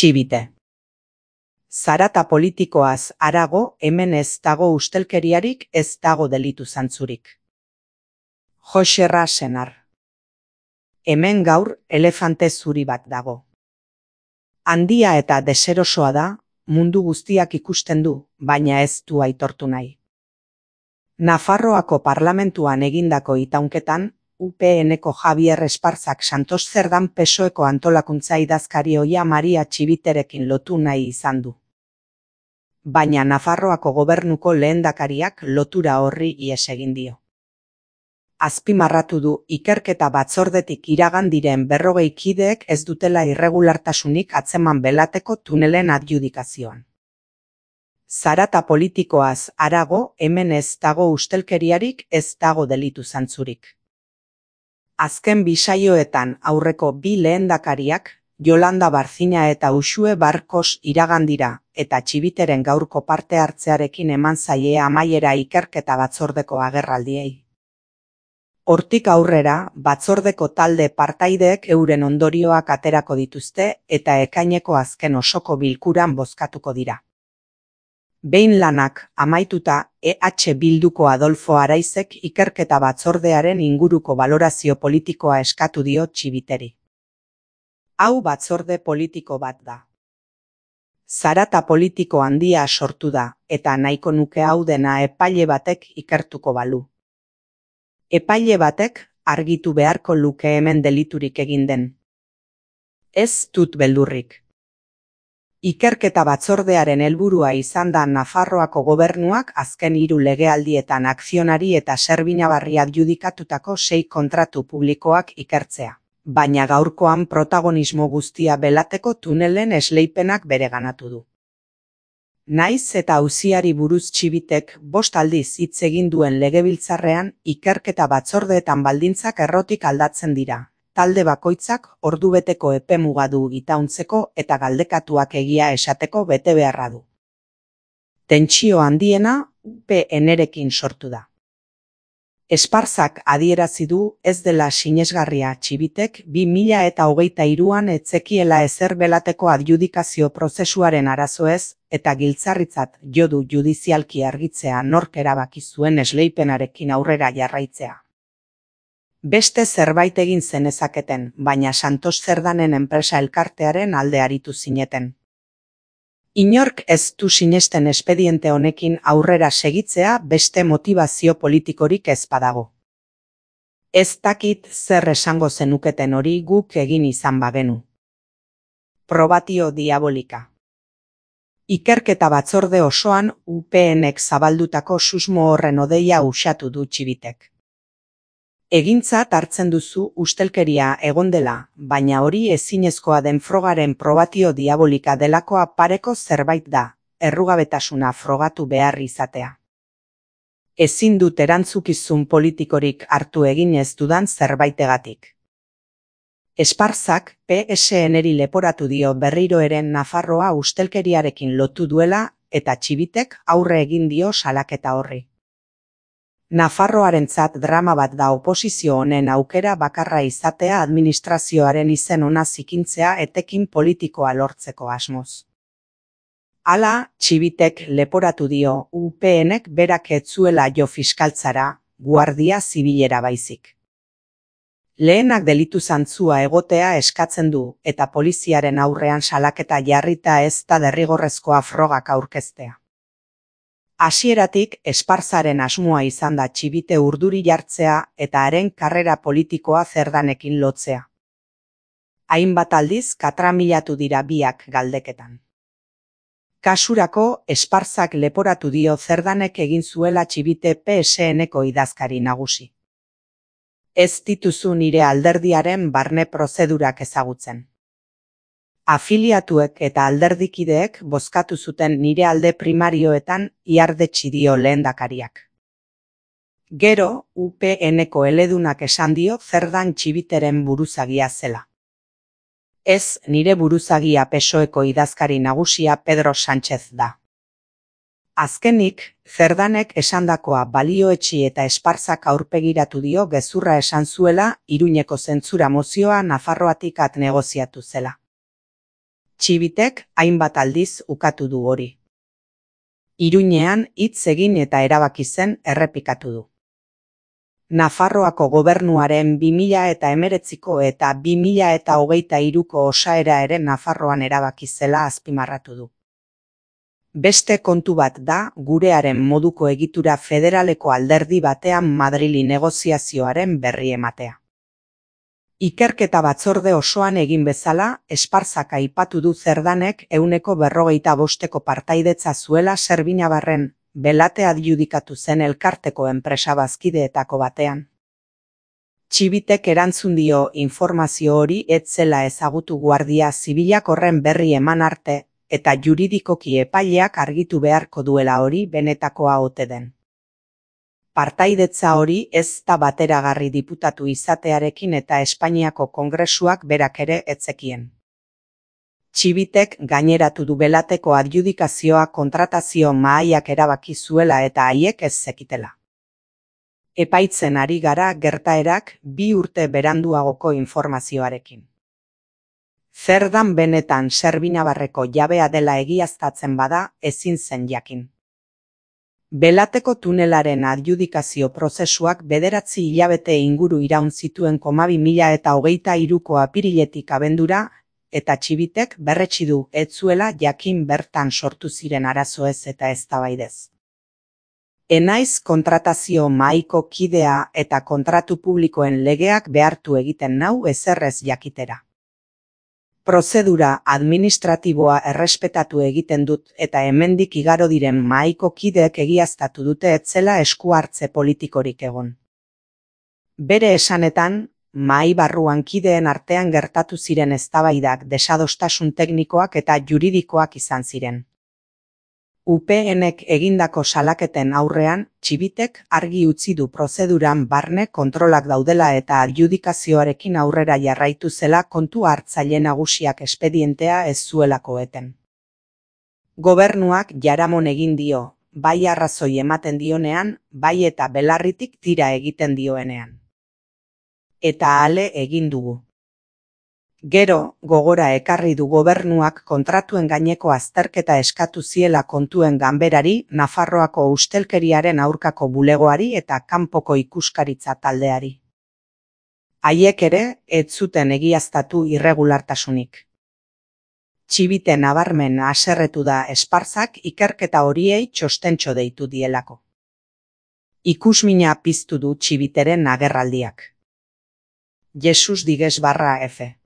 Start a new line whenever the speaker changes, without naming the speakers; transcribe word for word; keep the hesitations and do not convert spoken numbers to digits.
Txibite. Zarata politikoaz harago, hemen ez dago ustelkeriarik, ez dago delitu zantzurik. Joxerra Senar. Hemen gaur elefante zuri bat dago. Handia eta deserosoa da, mundu guztiak ikusten du, baina ez du aitortu nahi. Nafarroako parlamentuan egindako itaunketan, U P N-ko Javier Esparzak Santos Zerdan P S O E-ko antolakuntza idazkari ohia Maria Txibiterekin lotu nahi izan du. Baina Nafarroako gobernuko lehendakariak lotura horri ihes egin dio. Azpimarratu du ikerketa batzordetik iragan diren berrogei kideek ez dutela irregulartasunik atzeman belateko tunelen adjudikazioan. Zarata politikoaz harago, hemen ez dago ustelkeriarik, ez dago delitu zantzurik. Azken bi saioetan aurreko bi lehendakariak, Yolanda Barzina eta Uxue Barkos iragan dira, eta Txibiteren gaurko parte hartzearekin eman zaie amaiera ikerketa batzordeko agerraldiei. Hortik aurrera, batzordeko talde partaideek euren ondorioak aterako dituzte eta ekaineko azken osoko bilkuran bozkatuko dira. Behin lanak amaituta, E H Bilduko Adolfo Araizek ikerketa batzordearen inguruko balorazio politikoa eskatu dio Txibiteri. Hau batzorde politiko bat da. Zarata politiko handia sortu da, eta nahiko nuke hau dena epaile batek ikertuko balu. Epaile batek argitu beharko luke hemen deliturik egin den. Ez dut beldurrik. Ikerketa batzordearen helburua izan da Nafarroako gobernuak azken hiru legealdietan akzionari eta Serbinabarri adjudikatutako sei kontratu publikoak ikertzea, baina gaurkoan protagonismo guztia belateko tunelen esleipenak bereganatu du. Naiz eta auziari buruz Txibitek bost aldiz hitz egin duen legebiltzarrean ikerketa batzordeetan baldintzak errotik aldatzen dira. Talde bakoitzak ordubeteko epemuga du itauntzeko eta galdekatuak egia esateko bete beharra du. Tentsio handiena U P N-rekin sortu da. Esparzak adierazi du ez dela sinesgarria Txibitek bi mila eta hogeita hiruan etzekiela ezer belateko adjudikazio prozesuaren arazoez eta giltzarritzat jo du judizialki argitzea nork erabaki zuen esleipenarekin aurrera jarraitzea. Beste zerbait egin zenezaketen, baina Santos Zerdanen enpresa elkartearen alde aritu zineten. Inork ez du sinesten espediente honekin aurrera segitzea beste motivazio politikorik ez badago. Ez dakit zer esango zenuketen hori guk egin izan bagenu. Probatio diabolika. Ikerketa batzorde osoan U P N-ek zabaldutako susmo horren odeia uxatu du Txibitek. Egintzat hartzen duzu ustelkeria egon dela, baina hori ezinezkoa den frogaren probatio diabolika delakoa pareko zerbait da, errugabetasuna frogatu behar izatea. Ezin dut erantzukizun politikorik hartu egin ez dudan zerbaitegatik. Esparzak P S N-eri leporatu dio berriro eren Nafarroa ustelkeriarekin lotu duela eta Txibitek aurre egin dio salaketa horri. Nafarroarentzat drama bat da oposizio honen aukera bakarra izatea administrazioaren izen ona zikintzea etekin politikoa lortzeko asmoz. Hala, Txibitek leporatu dio U P N-ek berak ez zuela jo fiskaltzara, guardia zibilera baizik. Lehenak delitu zantzua egotea eskatzen du eta poliziaren aurrean salaketa jarrita ez da derrigorrezkoa frogak aurkeztea. Hasieratik Esparzaren asmoa izan da Txibite urduri jartzea eta haren karrera politikoa Zerdanekin lotzea. Hainbat aldiz katramilatu dira biak galdeketan. Kasurako Esparzak leporatu dio Zerdanek egin zuela Txibite P S N-ko idazkari nagusi. Ez dituzu nire alderdiaren barne prozedurak ezagutzen. Afiliatuek eta alderdikideek bozkatu zuten nire alde primarioetan iardetsi dio lehendakariak. Gero, U P N-ko eledunak esan dio Zerdan Txibiteren buruzagia zela. Ez nire buruzagia P S O E-ko idazkari nagusia Pedro Sánchez da. Azkenik, Zerdanek esandakoa balioetsi eta Esparzak aurpegiratu dio gezurra esan zuela Iruñeko zentzura mozioa Nafarroatik at negoziatu zela. Txibitek hainbat aldiz ukatu du hori. Iruñean hitz egin eta erabaki zen errepikatu du. Nafarroako gobernuaren bi mila eta hemeretziko eta bi mila eta hogeita hiruko osaera ere Nafarroan erabaki zela azpimarratu du. Beste kontu bat da gurearen moduko egitura federaleko alderdi batean Madrili negoziazioaren berri ematea. Ikerketa batzorde osoan egin bezala, Esparzak aipatu du Zerdanek ehuneko berrogeita bosteko partaidetza zuela Serbinabarren, Belate adjudikatu zen elkarteko enpresa bazkideetako batean. Txibitek erantzun dio informazio hori ez zela ezagutu Guardia Zibilak horren berri eman arte, eta juridikoki epaileak argitu beharko duela hori benetakoa ote den. Partaidetza hori ez da bateragarri diputatu izatearekin eta Espainiako Kongresuak berak ere ez zekien. Txibitek gaineratu du Belateko adjudikazioa kontratazio mahaiak erabaki zuela eta haiek ez zekitela. Epaitzen ari gara gertaerak bi urte beranduagoko informazioarekin. Zerdan benetan Serbinabarreko jabea dela egiaztatzen bada ezin zen jakin. Belateko tunelaren adjudikazio prozesuak bederatzi hilabete inguru iraun zituen komabi mila eta hogeita hiruko apiriletik abendura, eta Txibitek berretsi du ez zuela jakin bertan sortu ziren arazoez eta eztabaidez. Enaiz kontratazio mahaiko kidea eta kontratu publikoen legeak behartu egiten nau ezerrez jakitera. Prozedura administratiboa errespetatu egiten dut eta hemendik igaro diren mahaiko kideek egiaztatu dute ez zela esku hartze politikorik egon. Bere esanetan, mahai barruan kideen artean gertatu ziren eztabaidak desadostasun teknikoak eta juridikoak izan ziren. U PNek egindako salaketen aurrean, Txibitek argi utzi du prozeduran barne kontrolak daudela eta adjudikazioarekin aurrera jarraitu zela kontu hartzaile nagusiak espedientea ez zuelako eten. Gobernuak jaramon egin dio, bai arrazoi ematen dionean, bai eta belarritik tira egiten dioenean. Eta ale egin dugu. Gero, gogora ekarri du gobernuak kontratuen gaineko azterketa eskatu ziela kontuen ganberari, Nafarroako ustelkeriaren aurkako bulegoari eta kanpoko ikuskaritza taldeari. Haiek ere, ez zuten egiaztatu irregulartasunik. Txibite nabarmen haserretu da Esparzak ikerketa horiei txostentxo deitu dielako. Ikusmina piztu du Txibiteren agerraldiak. Jesus digues barra F.